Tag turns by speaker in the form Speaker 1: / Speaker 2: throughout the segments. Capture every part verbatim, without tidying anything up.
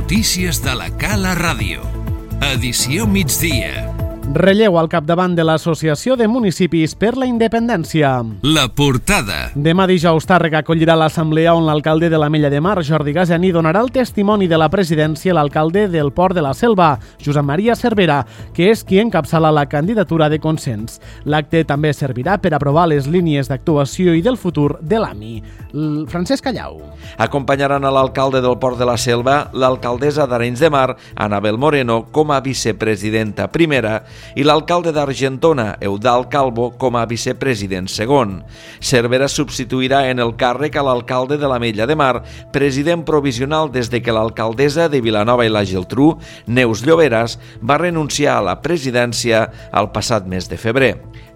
Speaker 1: Notícies de la Cala Ràdio. Edició migdia.
Speaker 2: Relleu al capdavant de l'Associació de Municipis per la Independència.
Speaker 1: La portada.
Speaker 2: Demà dijous Tàrrega acollirà l'assemblea on l'alcalde de l'Ametlla de Mar, Jordi Gazeni, donarà el testimoni de la presidència a l'alcalde del Port de la Selva, Josep Maria Cervera, que és qui encapçala la candidatura de consens. L'acte també servirà per aprovar les línies d'actuació i del futur de l'A M I. L- Francesc Callau.
Speaker 3: Acompanyaran a l'alcalde del Port de la Selva l'alcaldessa d'Arenys de Mar, Anabel Moreno, com a vicepresidenta primera, i l'alcalde d'Argentona, Eudald Calvo, com a vicepresident segon. Cervera substituirà en el càrrec a l'alcalde de l'Ametlla de Mar, president provisional des de que l'alcaldessa de Vilanova i la Geltrú, Neus Lloberas, va renunciar a la presidència el passat mes de febrer.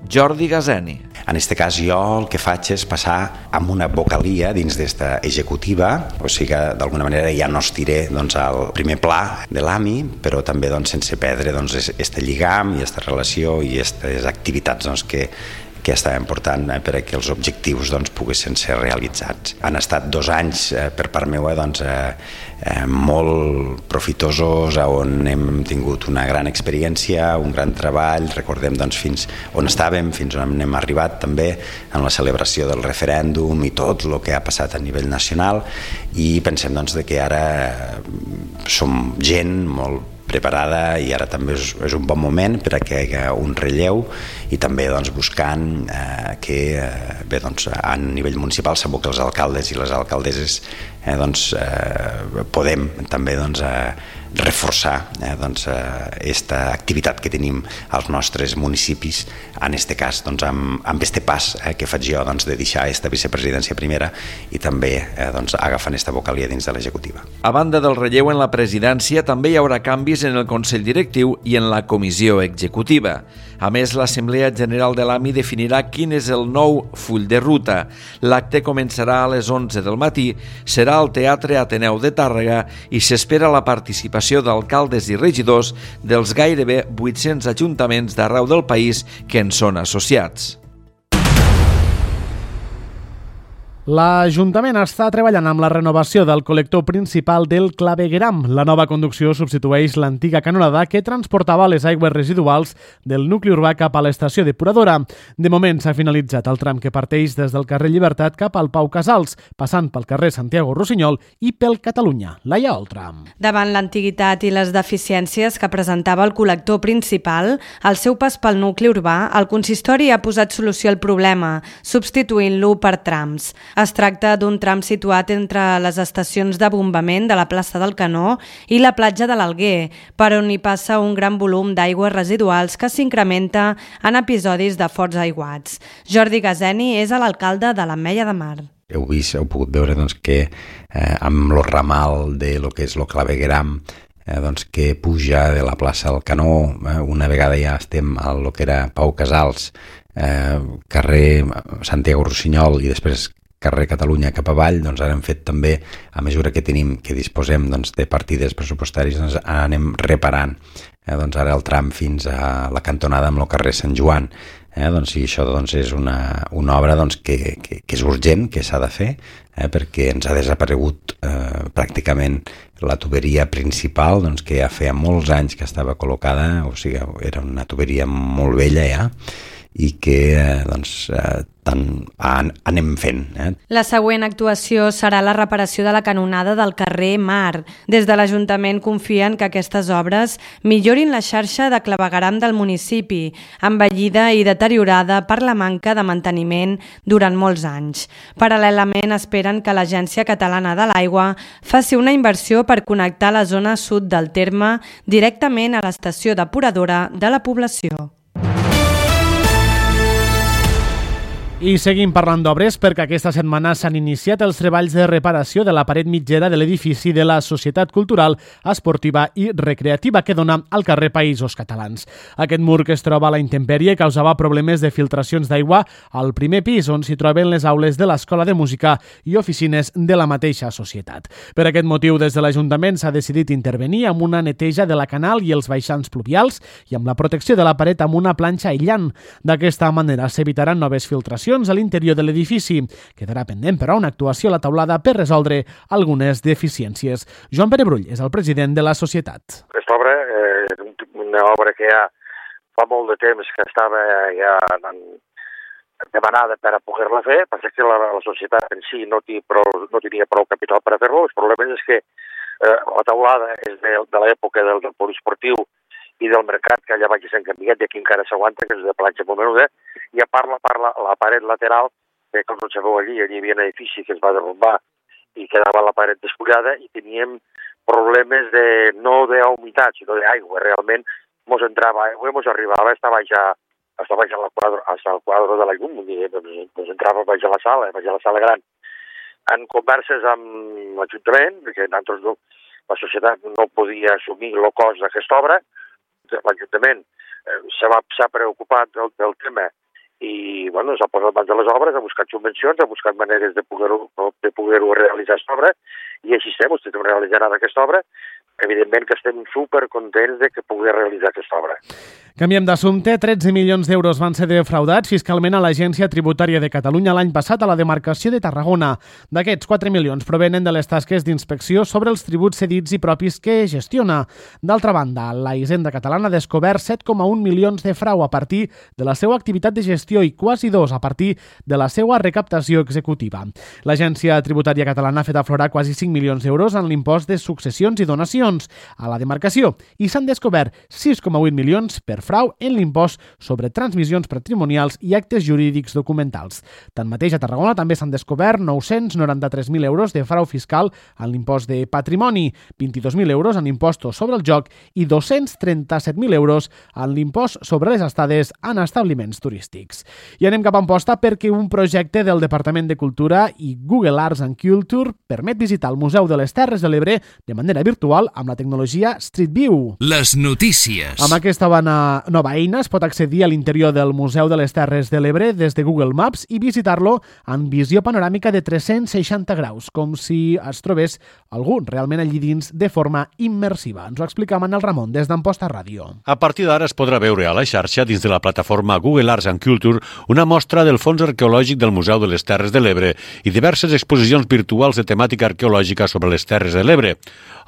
Speaker 3: Jordi Gazeni.
Speaker 4: En aquest cas jo el que faig és passar amb una vocalia dins d'esta executiva, o sigui que d'alguna manera ja no estiré doncs, al primer pla de l'A M I, però també doncs, sense perdre doncs, este lligam i aquesta relació i aquestes activitats doncs, que que estàvem portant eh, per a que els objectius doncs, poguessin ser realitzats. Han estat dos anys eh, per part meva doncs, eh, eh, molt profitosos, on hem tingut una gran experiència, un gran treball, recordem doncs, fins on estàvem, fins on hem arribat també en la celebració del referèndum i tot el que ha passat a nivell nacional, i pensem doncs, de que ara som gent molt preparada i ara també és, és un bon moment per a que hi hagi un relleu i també doncs, buscant eh, que eh, bé, doncs, a nivell municipal sabeu que els alcaldes i les alcaldesses eh, doncs, eh, podem també doncs, eh, reforçar eh, doncs, aquesta eh, activitat que tenim als nostres municipis, en aquest cas doncs, amb, amb este pas eh, que faig jo doncs, de deixar aquesta vicepresidència primera i també eh, doncs, agafant aquesta vocalia dins de l'executiva.
Speaker 3: A banda del relleu en la presidència, també hi haurà canvis en el Consell Directiu i en la Comissió Executiva. A més, l'Assemblea General de l'A M I definirà quin és el nou full de ruta. L'acte començarà a les onze del matí, serà al Teatre Ateneu de Tàrrega i s'espera la participació d'alcaldes i regidors dels gairebé vuit-cents ajuntaments d'arreu del país que en són associats.
Speaker 2: L'Ajuntament està treballant amb la renovació del col·lector principal del clavegueram. La nova conducció substitueix l'antiga canonada que transportava les aigües residuals del nucli urbà cap a l'estació depuradora. De moment s'ha finalitzat el tram que parteix des del carrer Llibertat cap al Pau Casals, passant pel carrer Santiago Rossinyol i pel Catalunya. Laia Oltram.
Speaker 5: Davant l'antiguitat i les deficiències que presentava el col·lector principal, al seu pas pel nucli urbà, el consistori ha posat solució al problema, substituint-lo per trams. Es tracta d'un tram situat entre les estacions de bombament de la plaça del Canó i la platja de l'Alguer, per on hi passa un gran volum d'aigües residuals que s'incrementa en episodis de forts aiguats. Jordi Gazeni és l'alcalde de l'Ametlla de Mar.
Speaker 4: Heu vist, heu pogut veure doncs, que eh, amb el ramal de lo que és el clavegueram eh, doncs, que puja de la plaça del Canó, eh, una vegada ja estem a lo que era Pau Casals, eh, carrer Santiago Rossinyol i després carrer Catalunya cap avall, doncs ara hem fet també, a mesura que tenim, que disposem doncs, de partides pressupostàries, doncs anem reparant eh, doncs ara el tram fins a la cantonada amb el carrer Sant Joan. Eh, doncs, I això doncs, és una, una obra doncs, que, que, que és urgent, que s'ha de fer, eh, perquè ens ha desaparegut eh, pràcticament la tuberia principal, doncs, que ja feia molts anys que estava col·locada, o sigui, era una tuberia molt vella ja, i que eh, doncs, eh, tant an, anem fent. Eh?
Speaker 5: La següent actuació serà la reparació de la canonada del carrer Mar. Des de l'Ajuntament confien que aquestes obres millorin la xarxa de clavegueram del municipi, envellida i deteriorada per la manca de manteniment durant molts anys. Paral·lelament esperen que l'Agència Catalana de l'Aigua faci una inversió per connectar la zona sud del terme directament a l'estació depuradora de la població.
Speaker 2: I seguim parlant d'obres perquè aquesta setmana s'han iniciat els treballs de reparació de la paret mitgera de l'edifici de la Societat Cultural, Esportiva i Recreativa que dona al carrer Països Catalans. Aquest mur que es troba a la intempèrie causava problemes de filtracions d'aigua al primer pis on s'hi troben les aules de l'Escola de Música i oficines de la mateixa societat. Per aquest motiu, des de l'Ajuntament s'ha decidit intervenir amb una neteja de la canal i els baixants pluvials i amb la protecció de la paret amb una planxa aïllant. D'aquesta manera s'evitaran noves filtracions instal·lacions a l'interior de l'edifici. Quedarà pendent, però, una actuació a la taulada per resoldre algunes deficiències. Joan Pere Brull és el president de la societat.
Speaker 6: Aquesta obra és eh, una obra que ja fa molt de temps que estava ja demanada per a poder-la fer, perquè que la, la societat en si no, prou, no tenia prou capital per a fer-lo. El problema és que eh, la taulada és de, de l'època del, del poliesportiu i del mercat, que allà vaig s'han canviat i aquí encara s'aguanta, que és de planxa molt menuda, i a part, la, part la, la paret lateral, que com ho sabeu allí, allí hi havia un edifici que es va derrumbar i quedava la paret despullada i teníem problemes de, no d'humitat, sinó d'aigua. Realment mos entrava aigua, mos arribava, estava ja hasta baix al quadre, hasta el quadre de la llum, doncs, doncs entrava baix a la sala, baix a la sala gran. En converses amb l'Ajuntament, perquè nosaltres no, la societat no podia assumir el cost d'aquesta obra, l'Ajuntament eh, s'ha preocupat del, del tema i bueno, s'ha posat mans de les obres, ha buscat subvencions, ha buscat maneres de poder-ho de poder-ho realitzar aquesta obra i així estem, estem realitzant ara aquesta obra. Evidentment que estem supercontents de que pugui realitzar aquesta obra.
Speaker 2: Canviem d'assumpte. tretze milions d'euros van ser defraudats fiscalment a l'Agència Tributària de Catalunya l'any passat a la demarcació de Tarragona. D'aquests, quatre milions provenen de les tasques d'inspecció sobre els tributs cedits i propis que gestiona. D'altra banda, la Hisenda Catalana ha descobert set coma un milions de frau a partir de la seva activitat de gestió i quasi dos a partir de la seva recaptació executiva. L'Agència Tributària Catalana ha fet aflorar quasi cinc milions d'euros en l'impost de successions i donacions a la demarcació i s'han descobert sis coma vuit milions per frau en l'impost sobre transmissions patrimonials i actes jurídics documentals. Tanmateix, a Tarragona també s'han descobert nou-cents noranta-tres mil euros de frau fiscal en l'impost de patrimoni, vint-i-dos mil euros en impostos sobre el joc i dos-cents trenta-set mil euros en l'impost sobre les estades en establiments turístics. I anem cap a Amposta perquè un projecte del Departament de Cultura i Google Arts and Culture permet visitar el Museu de les Terres de l'Ebre de manera virtual amb la tecnologia Street View.
Speaker 1: Les notícies.
Speaker 2: Amb aquesta nova eina es pot accedir a l'interior del Museu de les Terres de l'Ebre des de Google Maps i visitar-lo en visió panoràmica de tres-cents seixanta graus, com si es trobés algú realment allí dins de forma immersiva. Ens ho explica Manel Ramon des d'Amposta Ràdio.
Speaker 7: A partir d'ara es podrà veure a la xarxa dins de la plataforma Google Arts and Culture una mostra del fons arqueològic del Museu de les Terres de l'Ebre i diverses exposicions virtuals de temàtica arqueològica sobre les Terres de l'Ebre.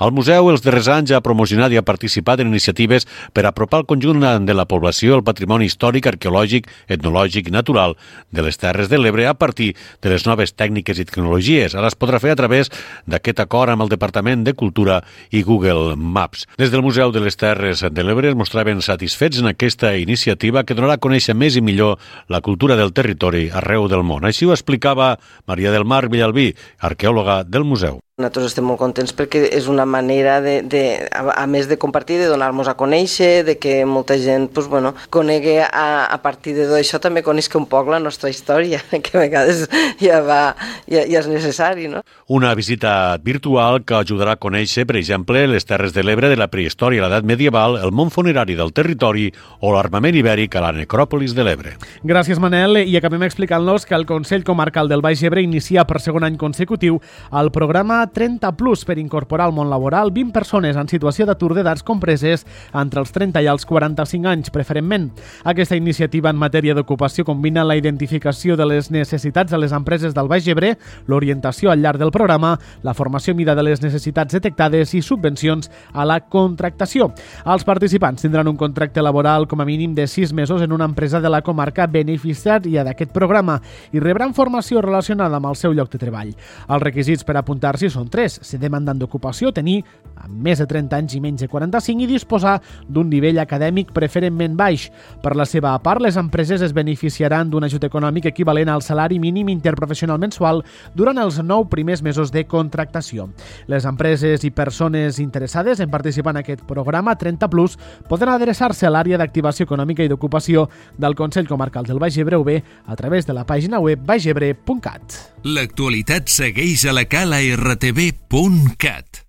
Speaker 7: El museu els darrers anys ha promocionat i ha participat en iniciatives per apropar el conjunt de la població al patrimoni històric, arqueològic, etnològic i natural de les Terres de l'Ebre a partir de les noves tècniques i tecnologies. Ara es podrà fer a través d'aquest acord amb el Departament de Cultura i Google Maps. Des del Museu de les Terres de l'Ebre es mostraven satisfets en aquesta iniciativa que donarà a conèixer més i millor la cultura del territori arreu del món. Així ho explicava Maria del Mar Villalbí, arqueòloga del museu.
Speaker 8: Nosaltres estem molt contents perquè és una manera, de, de, a, a més de compartir, de donar-nos a conèixer, de que molta gent pues, bueno, conegui a, a partir de tot això, també coneixi un poc la nostra història, que a vegades ja, va, ja, ja és necessari. No?
Speaker 7: Una visita virtual que ajudarà a conèixer, per exemple, les Terres de l'Ebre de la prehistòria a l'edat medieval, el món funerari del territori o l'armament ibèric a la necròpolis de l'Ebre.
Speaker 2: Gràcies, Manel. I acabem explicant-nos que el Consell Comarcal del Baix Ebre inicia per segon any consecutiu el programa trenta plus per incorporar al món laboral vint persones en situació d'atur d'edats compreses entre els trenta i els quaranta-cinc anys, preferentment. Aquesta iniciativa en matèria d'ocupació combina la identificació de les necessitats de les empreses del Baix Ebre, l'orientació al llarg del programa, la formació mida de les necessitats detectades i subvencions a la contractació. Els participants tindran un contracte laboral com a mínim de sis mesos en una empresa de la comarca beneficiària d'aquest programa i rebran formació relacionada amb el seu lloc de treball. Els requisits per apuntar-s'hi són tres: ser demandant d'ocupació, tenir més de trenta anys i menys de quaranta-cinc i disposar d'un nivell acadèmic preferentment baix. Per la seva part, les empreses es beneficiaran d'un ajut econòmic equivalent al salari mínim interprofessional mensual durant els nou primers mesos de contractació. Les empreses i persones interessades en participar en aquest programa trenta plus poden adreçar-se a l'àrea d'activació econòmica i d'ocupació del Consell Comarcal del Baix Ebre o bé a través de la pàgina web baixebre punt cat.
Speaker 1: L'actualitat segueix a la cala r t v punt cat.